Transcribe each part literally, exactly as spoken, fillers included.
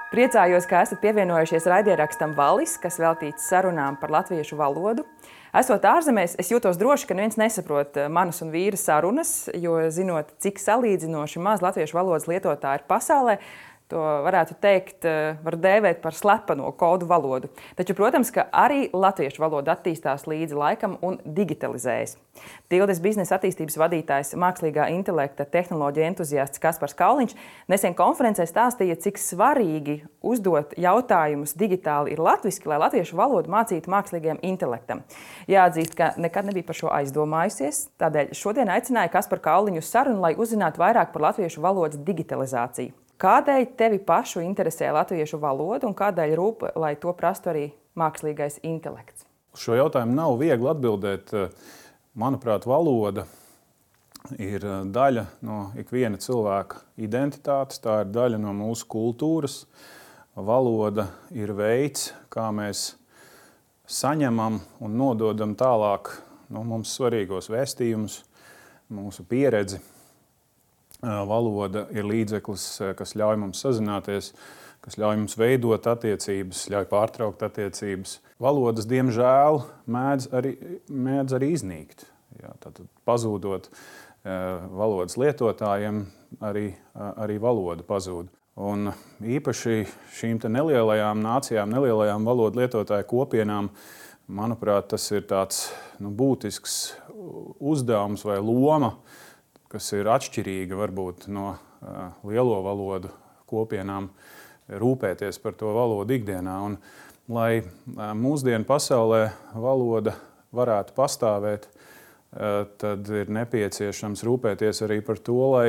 Priecājos, ka esat pievienojušies raidierakstam Valis, kas veltīts sarunām par latviešu valodu. Esot ārzemēs, es jūtos droši, ka neviens nesaprot manas un vīra sarunas, jo zinot, cik salīdzinoši maz latviešu valodas lietotāji ir pasaulē, to varētu teikt, var dēvēt par slepeno kodu valodu. Taču, protams, ka arī latviešu valoda attīstās līdzi laikam un digitalizējas. Tildes biznesa attīstības vadītājs, mākslīgā intelekta tehnoloģija entuziasts Kaspars Kauliņš nesen konferencē stāstīja, cik svarīgi uzdot jautājumus digitāli ir latviski, lai latviešu valodu mācītu mākslīgajam intelektam. Jāatzīst, ka nekad nebija par šo aizdomājusies, tādēļ šodien aicināju Kasparu Kauliņu uz sarunu, lai uzzinātu vairāk par latviešu valodas digitalizāciju. Kādēļ tevi pašu interesē latviešu valoda un kādēļ rūp, lai to prastu arī mākslīgais intelekts? Šo jautājumu nav viegli atbildēt. Manuprāt, valoda ir daļa no ikviena cilvēka identitātes, tā ir daļa no mūsu kultūras. Valoda ir veids, kā mēs saņemam un nododam tālāk no mums svarīgos vēstījumus, mūsu pieredzi. Valoda ir līdzeklis, kas ļauj mums sazināties, kas ļauj mums veidot attiecības, ļauj pārtraukt attiecības. Valodas, diemžēl, mēdz arī, mēdz arī iznīkt. Jā, tātad pazūdot valodas lietotājiem, arī, arī valoda pazūd. Un īpaši šīm te nelielajām nācijām, nelielajām valodu lietotāju kopienām, manuprāt, tas ir tāds nu, būtisks uzdevums vai loma, kas ir atšķirīga varbūt no uh, lielo valodu kopienām, rūpēties par to valodu ikdienā. Un, lai uh, mūsdienu pasaulē valoda varētu pastāvēt, uh, tad ir nepieciešams rūpēties arī par to, lai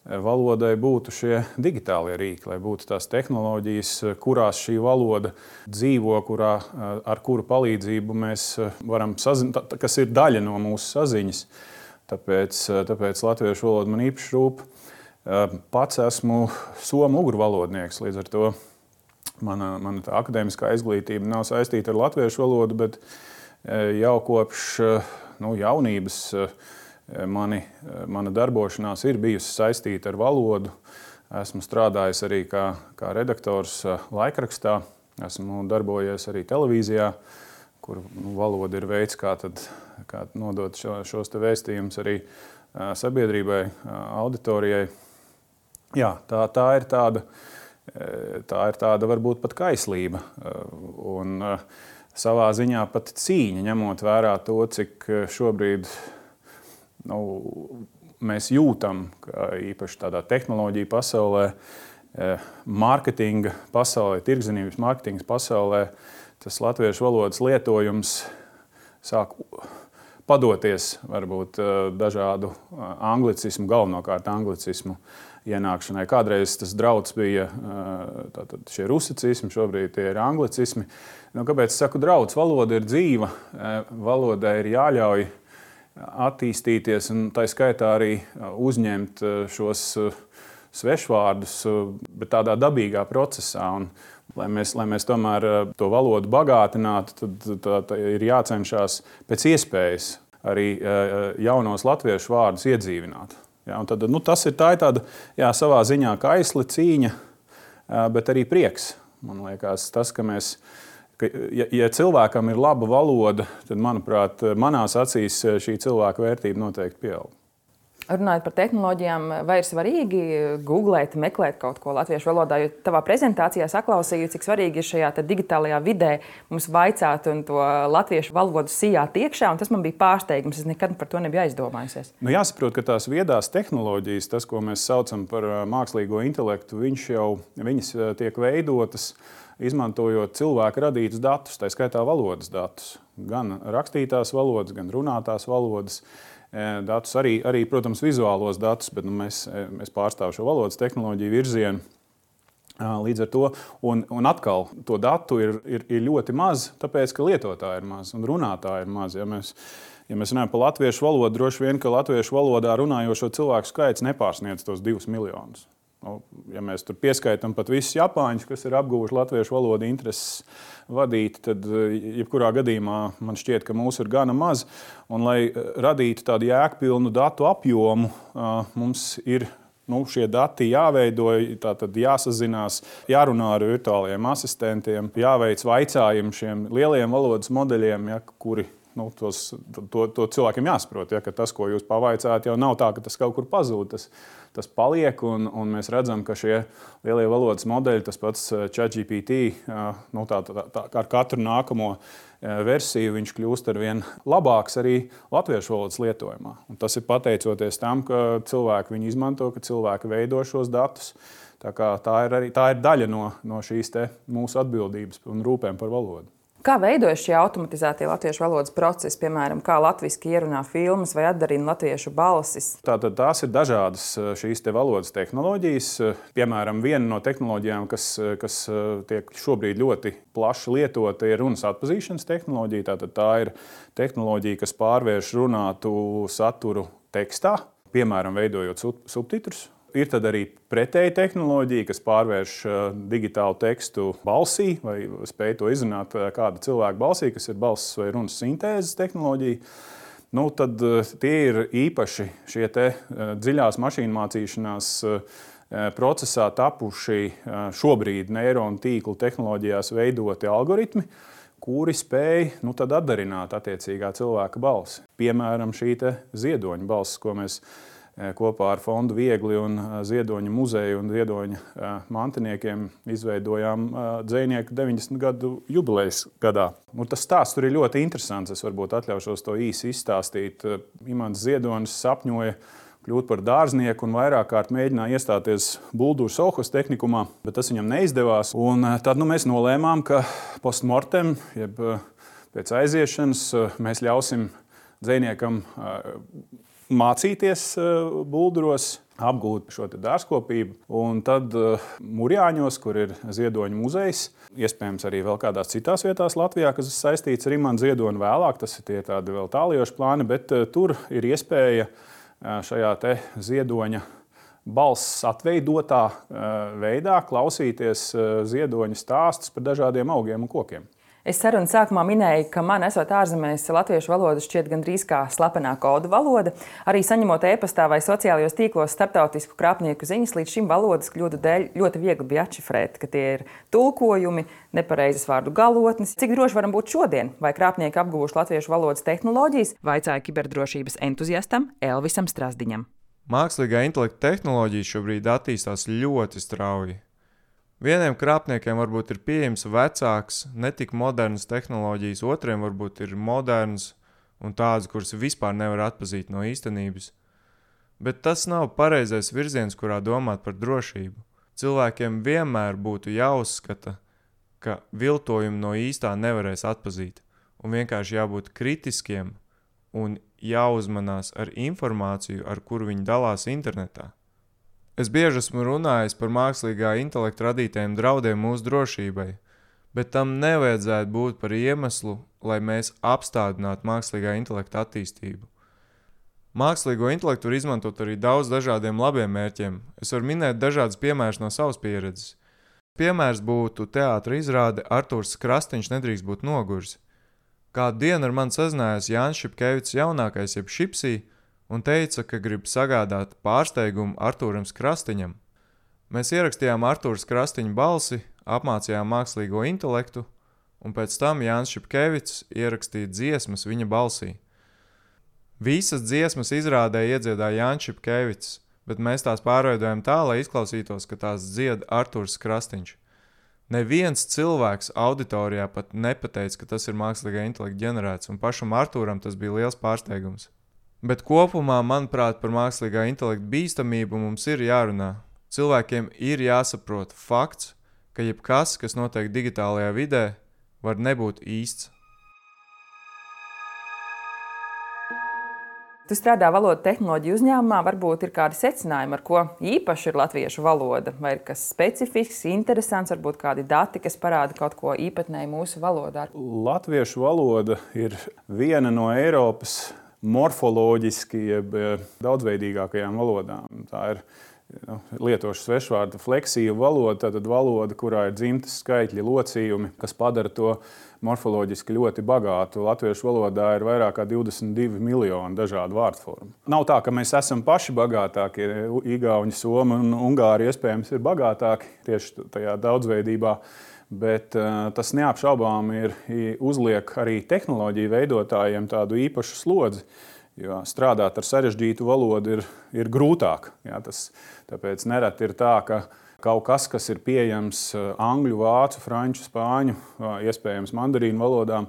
valodai būtu šie digitālie rīki, lai būtu tās tehnoloģijas, kurās šī valoda dzīvo, kurā, uh, ar kuru palīdzību mēs varam sazināt, kas ir daļa no mūsu saziņas. Tāpēc, tāpēc latviešu valoda man īpaši rūp. Pats esmu somu ugru valodnieks, līdz ar to mana, mana tā akadēmiskā izglītība nav saistīta ar latviešu valodu, bet jau kopš nu, jaunības mani, mana darbošanās ir bijusi saistīta ar valodu. Esmu strādājis arī kā, kā redaktors laikrakstā, esmu darbojies arī televīzijā, kur nu, valoda ir veids, kā, tad, kā nodot šo, šos te vēstījumus arī uh, sabiedrībai, uh, auditorijai. Jā, tā, tā ir tāda, tā ir tāda varbūt pat kaislība uh, un uh, savā ziņā pat cīņa, ņemot vērā to, cik šobrīd nu, mēs jūtam, ka īpaši tādā tehnoloģija pasaulē, uh, mārketinga pasaulē, tirgzniecības mārketingas pasaulē, tas latviešu valodas lietojums sāk padoties varbūt dažādu anglicismu, galvenokārt anglicismu ienākšanai. Kādreiz tas drauds bija tātad šie rusicismi, šobrīd tie ir anglicismi. Nu, kāpēc es saku drauds? Valoda ir dzīva, valodai ir jāļauj attīstīties un tā skaitā arī uzņemt šos svešvārdus, bet tādā dabīgā procesā. Un, Lai mēs, lai mēs tomēr to valodu bagātinātu, tad tā, tā ir jācenšas pēc iespējas arī jaunos latviešu vārdus iedzīvināt. Ja, un tad, nu, tas ir, tā ir tāda jā, savā ziņā kaisli cīņa, bet arī prieks. Man liekas, tas, ka mēs, ka, ja, ja cilvēkam ir laba valoda, tad, manuprāt, manās acīs šī cilvēka vērtība noteikti pieaug. Runājot par tehnoloģijām, vai ir svarīgi googlēt, meklēt kaut ko latviešu valodā, jo tavā prezentācijā saklausīju, cik svarīgi ir šajā digitālajā vidē mums vaicāt un to latviešu valodu sijāt iekšā, un tas man bija pārsteigums, es nekad par to nebiju aizdomājusies. Nu, jāsaprot, ka tās viedās tehnoloģijas, tas, ko mēs saucam par mākslīgo intelektu, viņš jau, viņas tiek veidotas, izmantojot cilvēku radītus datus, tā skaitā valodas datus, gan rakstītās valodas, gan runātās valodas. Datus, arī, arī, protams, vizuālos datus, bet nu, mēs, mēs pārstāvam šo valodas tehnoloģiju virzienu. Līdz ar to, un, un atkal, to datu ir, ir, ir ļoti maz, tāpēc, ka lietotāji ir maz un runātāji ir maz. Ja mēs, ja mēs runājam par latviešu valodu, droši vien, ka latviešu valodā runājošo cilvēku skaits nepārsniedz tos divus miljonus. Nu, ja mēs tur pieskaitam pat visus japāņus, kas ir apguvuši latviešu valodu intereses vadīt, tad jebkurā gadījumā man šķiet, ka mūsu ir gana maz. Un, lai radītu tādu jēgpilnu datu apjomu, mums ir Nu, šie dati jāveido, tātad jāsazinās, jārunā ar virtuāliem asistentiem, jāveic vaicājumi šiem lielajiem valodas modeļiem, ja, kuri nu, tos, to, to cilvēkiem jāsaprot. Ja, ka tas, ko jūs pavaicājat, jau nav tā, ka tas kaut kur pazūd. Tas, tas paliek, un, un mēs redzam, ka šie lielie valodas modeļi, tas pats ChatGPT, nu, tā, tā, tā, ar katru nākamo versiju viņš kļūst ar vien labāks arī latviešu valodas lietojumā. Un tas ir pateicoties tam, ka cilvēki viņu izmanto, ka cilvēki veido šos datus. Tā, kā tā, ir, arī, tā ir daļa no, no šīs te mūsu atbildības un rūpēm par valodu. Kā veidojas šie automatizētie latviešu valodas procesi, piemēram, kā latviski ierunā filmas vai atdarina latviešu balsis? Tātad tās ir dažādas šīs te valodas tehnoloģijas. Piemēram, viena no tehnoloģijām, kas, kas tiek šobrīd ļoti plaši lietota, ir runas atpazīšanas tehnoloģija. Tātad tā ir tehnoloģija, kas pārvērš runātu saturu tekstā, piemēram, veidojot subtitrus. Ir tad arī pretēja tehnoloģija, kas pārvērš digitālu tekstu balsī vai spēj to izrunāt kāda cilvēka balsī, kas ir balss vai runas sintēzes tehnoloģija. Nu, tad tie ir īpaši šie te dziļās mašīnu mācīšanās procesā tapuši šobrīd neironu tīklu tehnoloģijās veidoti algoritmi, kuri spēj nu, tad atdarināt attiecīgā cilvēka balsi. Piemēram, šī te ziedoņa balss, ko mēs kopā ar Fondu Viegli un Ziedoņa muzeju un Ziedoņa mantiniekiem izveidojām dzejnieku deviņdesmit gadu jubilejas gadā. Nu, tas stāsts tur ir ļoti interesants. Es varbūt atļaušos to īsi izstāstīt. Imants Ziedonis sapņoja kļūt par dārznieku un vairāk kārt mēģināja iestāties Buldūras Solhas tehnikumā, bet tas viņam neizdevās. Un tad nu, mēs nolēmām, ka postmortem, jeb pēc aiziešanas, mēs ļausim dzejniekam mācīties Bulduros, apgūt šo dārzkopību. Un tad Murjāņos, kur ir Ziedoņa muzejs, iespējams arī vēl kādās citās vietās Latvijā, kas ir saistīts ar Imantu Ziedoni vēlāk, tas ir tie tādi vēl tāliejoši plāni, bet tur ir iespēja šajā te Ziedoņa balss atveidotā veidā klausīties Ziedoņa stāstus par dažādiem augiem un kokiem. Es sarunas sākumā minēju, ka man, esot ārzemēs, latviešu valoda šķiet gandrīz kā slepenā kodu valoda. Arī saņemot e-pastā vai sociālajos tīklos starptautisku krāpnieku ziņas, līdz šim valodas kļūdu dēļ ļoti viegli bija atšifrēt, ka tie ir tulkojumi, nepareizas vārdu galotnes. Cik droši varam būt šodien? Vai krāpnieki apguvuši latviešu valodas tehnoloģijas? Vaicāja kiberdrošības entuziastam Elvisam Strasdiņam. Mākslīgā intelekta tehnoloģija šobrīd attīstās ļoti strauji. Vieniem krāpniekiem varbūt ir pieejams vecāks, netik modernas tehnoloģijas, otriem varbūt ir modernas un tādas, kuras vispār nevar atpazīt no īstenības. Bet tas nav pareizais virziens, kurā domāt par drošību. Cilvēkiem vienmēr būtu jāuzskata, ka viltojumu no īstā nevarēs atpazīt, un vienkārši jābūt kritiskiem un jāuzmanās ar informāciju, ar kuru viņi dalās internetā. Es bieži esmu runājis par mākslīgā intelekta radītajiem draudiem mūsu drošībai, bet tam nevajadzētu būt par iemeslu, lai mēs apstādinātu mākslīgā intelekta attīstību. Mākslīgo intelektu var izmantot arī daudz dažādiem labiem mērķiem. Es varu minēt dažādas piemērus no savas pieredzes. Piemērs būtu teātra izrāde Artūrs Krastīņš nedrīkst būt noguris. Kādu dienu ar mani sazinājās Jānis Šipkevics jaunākais jeb Šipsī, un teica, ka grib sagādāt pārsteigumu Artūram Krastiņam. Mēs ierakstījām Artūras Krastiņa balsi, apmācījām mākslīgo intelektu, un pēc tam Jānis Šipkevics ierakstīja dziesmas viņa balsī. Visas dziesmas izrādē iedziedāja Jānis Šipkevics, bet mēs tās pārveidojam tā, lai izklausītos, ka tās dzied Artūrs Krastiņš. Neviens cilvēks auditorijā pat nepateica, ka tas ir mākslīgā intelekta ģenerēts, un pašam Artūram tas bija liels pārsteigums. Bet kopumā, manuprāt, par mākslīgā intelekta bīstamību mums ir jārunā. Cilvēkiem ir jāsaprot fakts, ka jebkas, kas notiek digitālajā vidē, var nebūt īsts. Tu strādā valodu tehnoloģiju uzņēmumā, varbūt ir kādi secinājumi, ar ko īpaši ir latviešu valoda, vai ir kas specifisks, interesants, varbūt kādi dati, kas parāda kaut ko īpatnēju mūsu valodā. Latviešu valoda ir viena no Eiropas morfoloģiski jeb daudzveidīgākajām valodām. Tā ir nu, lietošu svešvārdu fleksīvu valodu, tad valoda, kurā ir dzimtas skaitļi, locījumi, kas padara to morfoloģiski ļoti bagātu. Latviešu valodā ir vairāk kā divdesmit divi miljoni dažādu vārdformu. Nav tā, ka mēs esam paši bagātāki. Igauņi, Somi un Ungāri iespējams ir bagātāki tieši tajā daudzveidībā, bet uh, tas neapšaubām ir uzliek arī tehnoloģiju veidotājiem tādu īpašu slodzi, jo strādāt ar sarežģītu valodu ir, ir grūtāk. Jā, tas, tāpēc nereti ir tā, ka kaut kas, kas ir pieejams angļu, vācu, franču, spāņu, iespējams mandarīnu valodām,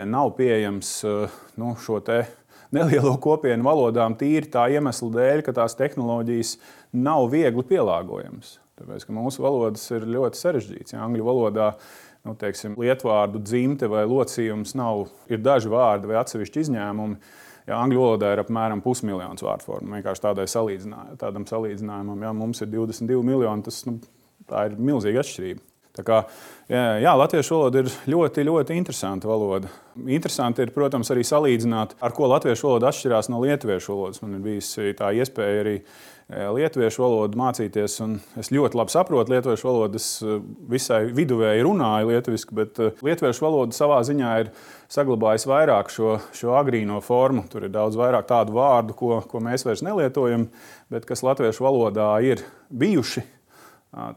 nav pieejams nu, šo te nelielo kopienu valodām tīri tā iemesla dēļ, ka tās tehnoloģijas nav viegli pielāgojamas. Tāpēc, ka mūsu valodas ir ļoti sarežģītas. Ja angļu valodā nu, teiksim, lietvārdu dzimte vai locījums nav, ir daži vārdi vai atsevišķi izņēmumi. Ja angļu valodā ir apmēram pusmiljons vārdformu, vienkārši tādai salīdzinājumam. Tādam salīdzinājumam, ja mums ir divdesmit divi miljoni, tas nu, tā ir milzīga atšķirība. Tā kā, jā, jā, latviešu valoda ir ļoti, ļoti interesanta valoda. Interesanti ir, protams, arī salīdzināt, ar ko latviešu valoda atšķirās no lietuviešu valodas. Man ir bijusi tā iespēja arī lietuviešu valodu mācīties, un es ļoti labi saprotu lietuviešu valodu. Es visai viduvēji runāju lietuviski, bet lietuviešu valoda savā ziņā ir saglabājis vairāk šo, šo agrīno formu. Tur ir daudz vairāk tādu vārdu, ko, ko mēs vairs nelietojam, bet kas latviešu valodā ir bijuši.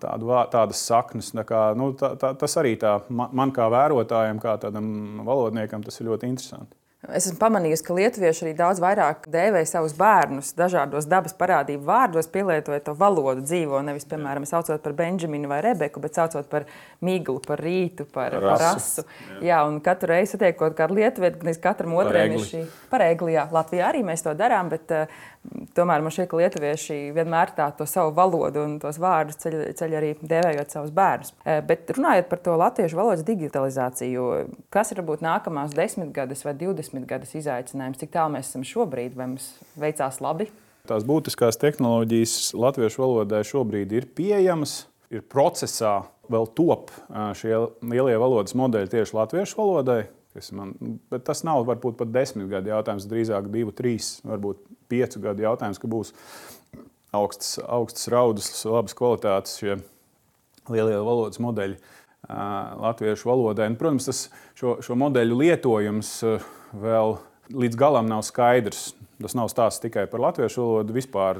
Tādu, tādas saknes. Tā kā, nu, tā, tā, tas arī tā, man kā vērotājam, kā tādam valodniekam, tas ir ļoti interesanti. Es esmu pamanījusi, ka lietuvieši arī daudz vairāk dēvē savus bērnus dažādos dabas parādību vārdos, pielietojot to valodu dzīvo. Nevis, piemēram, saucot par Benžaminu vai Rebeku, bet saucot par miglu, par rītu, par rasu. Par rasu. Jā. jā, un katru reizi satiekot kādu lietuvieti, gan katram otriem ir šī par egli. Jā, Latvijā arī mēs to darām, bet uh, tomēr man šķiet, ka lietuvieši vienmēr tā to savu valodu un tos vārdus ceļ, ceļ arī dēvējot savus bērnus. Uh, bet runājot par to latviešu valodas digitalizāciju, kas ir varbūt nākamās desmitgades vai divdesmit gadus izaicinājums, cik tālu mēs esam šobrīd, vai mums veicās labi? Tās būtiskās tehnoloģijas latviešu valodai šobrīd ir pieejamas, ir procesā, vēl top šie lielie valodas modeļi tieši latviešu valodai. Man, bet tas nav varbūt pat desmit gadu jautājums, drīzāk divu, trīs, varbūt piecu gadu jautājums, ka būs augsts, augsts raudus, labas kvalitātes šie lielie valodas modeļi uh, latviešu valodai. Un, protams, tas šo, šo modeļu lietojums uh, vēl līdz galam nav skaidrs. Tas nav stāsts tikai par latviešu valodu, vispār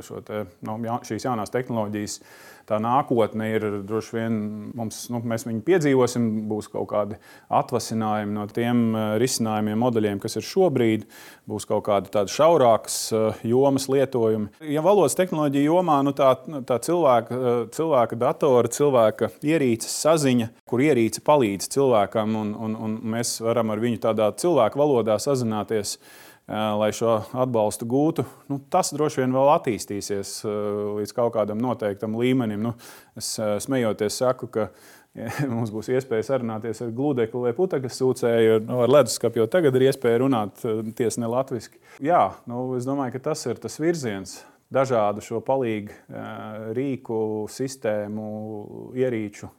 šo te, no, šīs jaunās tehnoloģijas. Tā nākotne ir droši vien, mums, nu, mēs viņu piedzīvosim, būs kaut kādi atvasinājumi no tiem risinājumiem, modeļiem, kas ir šobrīd, būs kaut kādi tādi šaurākas jomas lietojumi. Ja valodas tehnoloģija jomā, nu, tā, tā cilvēka, cilvēka datora, cilvēka ierīces saziņa, kur ierīce palīdz cilvēkam, un, un, un mēs varam ar viņu tādā cilvēka valodā sazināties, lai šo atbalstu gūtu, nu, tas droši vien vēl attīstīsies līdz kaut kādam noteiktam līmenim. Nu, es smejoties saku, ka ja, mums būs iespēja sarunāties ar gludekli vai putekļu sūcēju, no ar leduskapu, jo tagad ir iespēja runāt tiesa ne latviski. Jā, nu, es domāju, ka tas ir tas virziens. Dažādu šo palīgu rīku, sistēmu, ierīču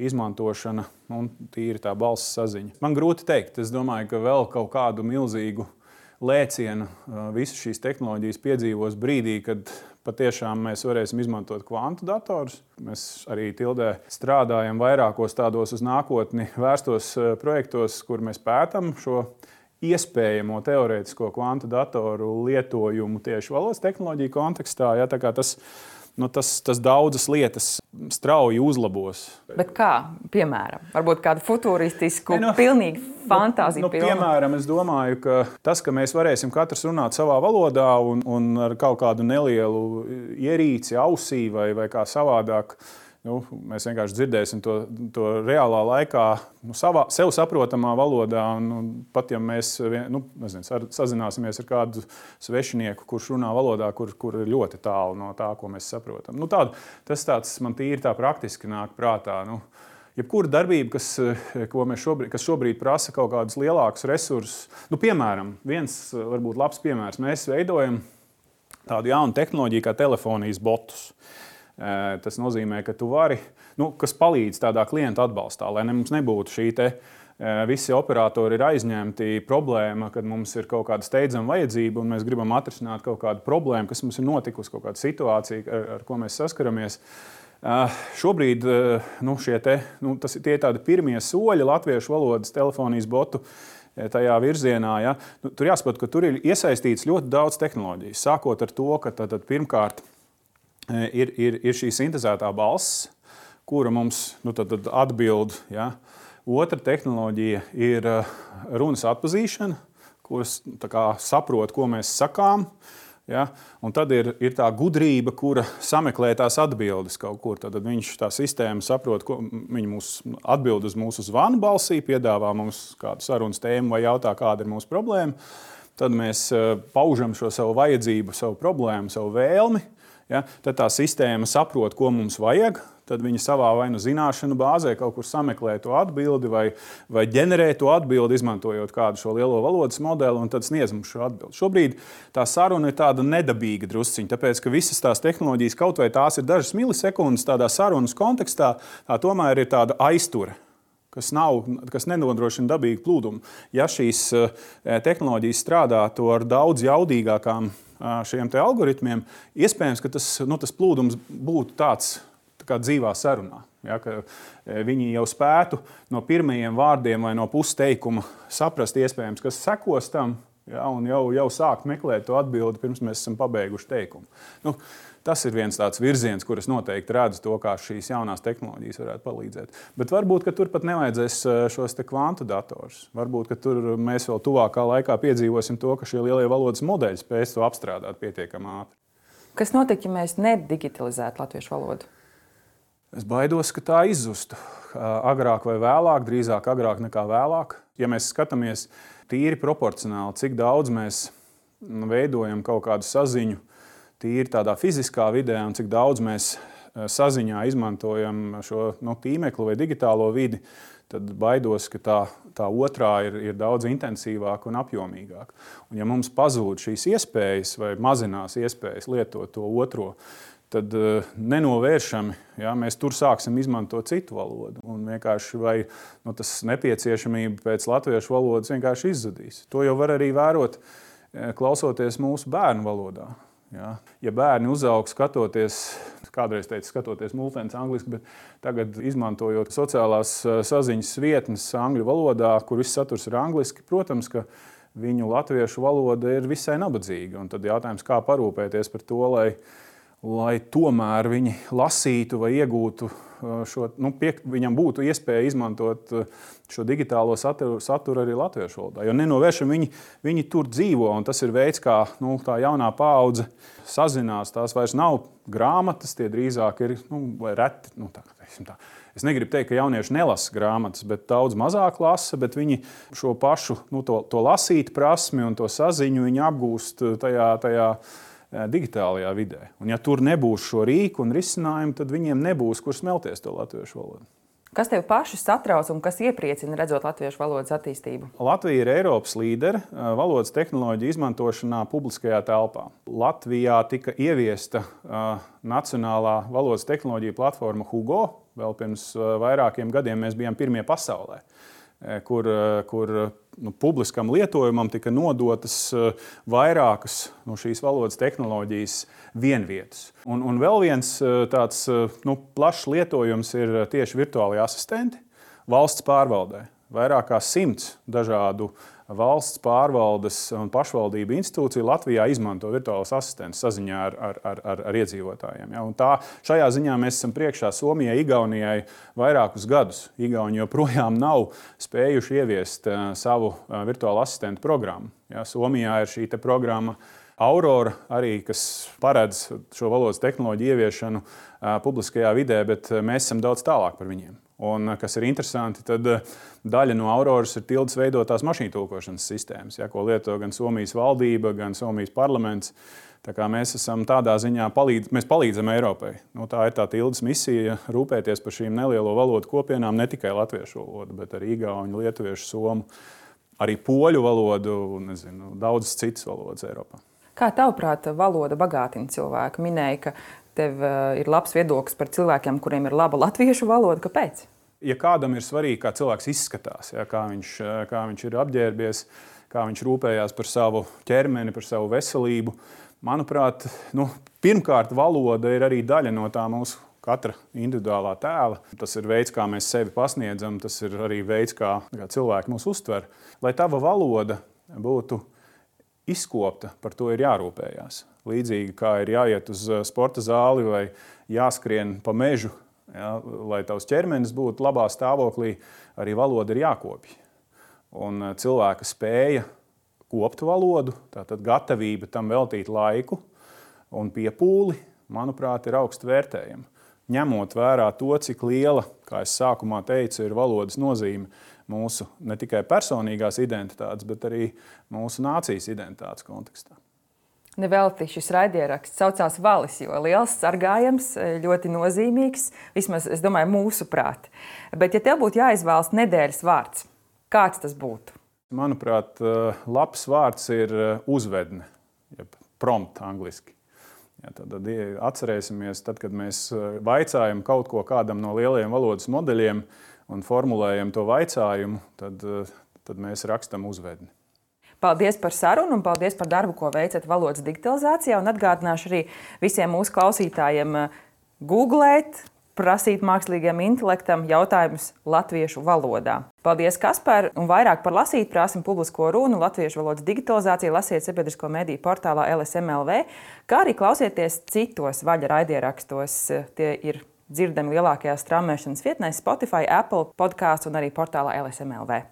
izmantošana un tīri tā balss saziņa. Man grūti teikt, es domāju, ka vēl kaut kādu milzīgu lēcienu visas šīs tehnoloģijas piedzīvos brīdī, kad patiešām mēs varēsim izmantot kvantu datorus. Mēs arī Tildē strādājam vairākos tādos uz nākotni vērstos projektos, kur mēs pētam šo iespējamo teorētisko kvantu datoru lietojumu tieši valodas tehnoloģiju kontekstā. Ja, tā kā tas, nu, tas, tas daudzas lietas strauji uzlabos. Bet kā, piemēram? Varbūt kādu futuristisku, ne, no, pilnīgi fantāziju nu, nu, piemēram, es domāju, ka tas, ka mēs varēsim katrs runāt savā valodā un, un ar kaut kādu nelielu ierīci ausī vai, vai kā savādāk, nu, mēs vienkārši dzirdēsim to, to reālā laikā, nu, savā, sev saprotamā valodā. Un, un pat ja mēs nu, nezinu, sazināsimies ar kādu svešinieku, kurš runā valodā, kur, kur ir ļoti tālu no tā, ko mēs saprotam. Nu, tād, tas tāds man tīri tā praktiski nāk prātā. Nu, jebkura darbība, kas, ko mēs šobrīd, kas šobrīd prasa kaut kādus lielākus resursus. Nu, piemēram, viens varbūt labs piemērs. Mēs veidojam tādu jaunu tehnoloģiju kā telefonijas botus. Tas nozīmē, ka tu vari, nu, kas palīdz tādā klienta atbalstā, lai ne, mums nebūtu šī te visi operatori ir aizņemti problēma, kad mums ir kaut kāda steidzama vajadzība un mēs gribam atrisināt kaut kādu problēmu, kas mums ir notikusi, kaut kāda situācija, ar, ar ko mēs saskaramies. Uh, šobrīd uh, nu, šie te, nu, tas ir tie tādi pirmie soļi latviešu valodas telefonijas botu tajā virzienā. Ja. Nu, tur jāsaprot, ka tur ir iesaistīts ļoti daudz tehnoloģijas. Sākot ar to, ka tad, tad pirmkārt ir, ir, ir šī sintezētā balss, kura mums nu, tad, tad atbild. Ja. Otra tehnoloģija ir runas atpazīšana, kuras tā kā saprot, ko mēs sakām. Ja? Un tad ir, ir tā gudrība, kura sameklē tās atbildes kaut kur. Tad viņš tā sistēma saprot, ko viņi mūs atbild uz mūsu zvanu balsī, piedāvā mums kādu sarunas tēmu vai jautā, kāda ir mūsu problēma. Tad mēs paužam šo savu vajadzību, savu problēmu, savu vēlmi. Ja? Tad tā sistēma saprot, ko mums vajag. Tad viņi savā vai nu zināšanu bāzē kaut kur sameklē to atbildi vai, vai ģenerē to atbildi, izmantojot kādu šo lielo valodas modeli un tad sniedz mums šo atbildi. Šobrīd tā saruna ir tāda nedabīga drusciņa, tāpēc, ka visas tās tehnoloģijas, kaut vai tās ir dažas milisekundes tādā sarunas kontekstā, tā tomēr ir tāda aizture, kas, nav, kas nenodrošina dabīgu plūdumu. Ja šīs tehnoloģijas strādātu ar daudz jaudīgākām šiem te algoritmiem, iespējams, ka tas, nu, tas plūdums būtu tāds, kā dzīvā sarunā. Ja, ka viņi jau spētu no pirmajiem vārdiem vai no pusteikuma saprast iespējams, kas sekos tam, ja, un jau, jau sākt meklēt to atbildi, pirms mēs esam pabeiguši teikumu. Nu, tas ir viens tāds virziens, kur es noteikti redzu to, kā šīs jaunās tehnoloģijas varētu palīdzēt. Bet varbūt, ka tur pat nevajadzēs šos te kvantu datorus. Varbūt, ka tur mēs vēl tuvākā laikā piedzīvosim to, ka šie lielie valodas modeļi spēs to apstrādāt pietiekami ātri. Kas notiek, ja mēs nedigitalizētu latviešu valodu? Es baidos, ka tā izzustu. Agrāk vai vēlāk, drīzāk agrāk nekā vēlāk. Ja mēs skatāmies tīri proporcionāli, cik daudz mēs veidojam kaut kādu saziņu tīri tādā fiziskā vidē un cik daudz mēs saziņā izmantojam šo nu, tīmeklu vai digitālo vidi, tad baidos, ka tā, tā otrā ir, ir daudz intensīvāka un apjomīgāka. Un ja mums pazūd šīs iespējas vai mazinās iespējas lietot to otro, tad uh, nenovēršami ja, mēs tur sāksim izmantot citu valodu. Un vienkārši vai nu, tas nepieciešamība pēc latviešu valodas vienkārši izzudīs. To jau var arī vērot, klausoties mūsu bērnu valodā. Ja, ja bērni uzaug skatoties, kādreiz teica skatoties multens angliski, bet tagad izmantojot sociālās saziņas vietnes angļu valodā, kur viss saturs ir angliski, protams, ka viņu latviešu valoda ir visai nabadzīga. Un tad jautājums, kā parūpēties par to, lai lai tomēr viņi lasītu vai iegūtu šo, nu, pie, viņam būtu iespēja izmantot šo digitālo saturu, saturu arī latviešu valodā. Jo nenovēršam viņi, viņi tur dzīvo, un tas ir veids, kā nu, tā jaunā paudze sazinās. Tās vairs nav grāmatas, tie drīzāk ir nu, reti. Nu, tā, tā. Es negribu teikt, ka jaunieši nelasa grāmatas, bet daudz mazāk lasa, bet viņi šo pašu nu, to, to lasīt prasmi un to saziņu viņi apgūst tajā, tajā digitālajā vidē. Un ja tur nebūs šo rīku un risinājumu, tad viņiem nebūs, kur smelties to latviešu valodu. Kas tev paši satrauc un kas iepriecina redzot latviešu valodas attīstību? Latvija ir Eiropas līdere valodas tehnoloģiju izmantošanā publiskajā telpā. Latvijā tika ieviesta uh, nacionālā valodas tehnoloģija platforma Hugo. Vēl pirms uh, vairākiem gadiem mēs bijām pirmie pasaulē, kur, kur nu, publiskam lietojumam tika nodotas vairākas no šīs valodas tehnoloģijas vienvietas. Un, un vēl viens tāds nu, plašs lietojums ir tieši virtuālie asistenti valsts pārvaldē. Vairāk kā simts dažādu valsts pārvaldes un pašvaldību institūciju Latvijā izmanto virtuālos asistentus saziņā ar, ar, ar, ar, ar iedzīvotājiem. Ja? Un tā, šajā ziņā mēs esam priekšā Somijai, Igaunijai vairākus gadus. Igauni joprojām nav spējuši ieviest uh, savu uh, virtuālu asistentu programmu. Ja? Somijā ir šī te programma Aurora, arī, kas paredz šo valodas tehnoloģiju ieviešanu uh, publiskajā vidē, bet mēs esam daudz tālāk par viņiem. Un, kas ir interesanti, tad daļa no Auroras ir tildes veidotās mašīnu tulkošanas sistēmas, ja, ko lieto gan Somijas valdība, gan Somijas parlaments. Tā kā mēs esam tādā ziņā, palīdz, mēs palīdzam Eiropai. Nu, tā ir tā tildes misija rūpēties par šīm nelielo valodu kopienām, ne tikai latviešu valodu, bet arī igauņu, lietuviešu, somu, arī poļu valodu un nezinu, daudzas citas valodas Eiropā. Kā tavuprāt valoda bagātina cilvēku? Minēja, ka tev ir labs viedoklis par cilvēkiem, kuriem ir laba latviešu valoda. Kāpēc? Ja kādam ir svarīgi, kā cilvēks izskatās, ja, kā, viņš, kā viņš ir apģērbies, kā viņš rūpējās par savu ķermeni, par savu veselību, manuprāt, nu, pirmkārt, valoda ir arī daļa no tā mūsu katra individuālā tēla. Tas ir veids, kā mēs sevi pasniedzam, tas ir arī veids, kā, kā cilvēki mūs uztver. Lai tava valoda būtu izkopta, par to ir jārūpējās. Līdzīgi kā ir jāiet uz sporta zāli vai jāskrien pa mežu, ja, lai tavs ķermenis būtu labā stāvoklī, arī valoda ir jākopja. Un cilvēka spēja kopt valodu, tātad gatavība tam veltīt laiku un piepūli, manuprāt, ir augstu vērtējama. Ņemot vērā to, cik liela, kā es sākumā teicu, ir valodas nozīme mūsu ne tikai personīgās identitātes, bet arī mūsu nācijas identitātes kontekstā. Nevelti šis raidieraksts saucās Valis, jo liels, sargājams, ļoti nozīmīgs, vismaz, es domāju, mūsu prāt. Bet, ja tev būtu jāizvēlas nedēļas vārds, kāds tas būtu? Manuprāt, labs vārds ir uzvedne, jeb prompt angliski. Ja, tad atcerēsimies, tad, kad mēs vaicājam kaut ko kādam no lielajiem valodas modeļiem un formulējam to vaicājumu, tad, tad mēs rakstam uzvedni. Paldies par sarunu un paldies par darbu, ko veicat valodas digitalizācijā. Un atgādināšu arī visiem mūsu klausītājiem googlēt, prasīt mākslīgajam intelektam jautājumus latviešu valodā. Paldies, Kaspar, un vairāk par lasīt prāsim publisko runu latviešu valodas digitalizāciju lasiet sabiedrisko mediju portālā L S M L V, kā arī klausieties citos Vaļa raidierakstos. Tie ir dzirdami lielākajās straumēšanas vietnēs Spotify, Apple podcasts un arī portālā L S M L V.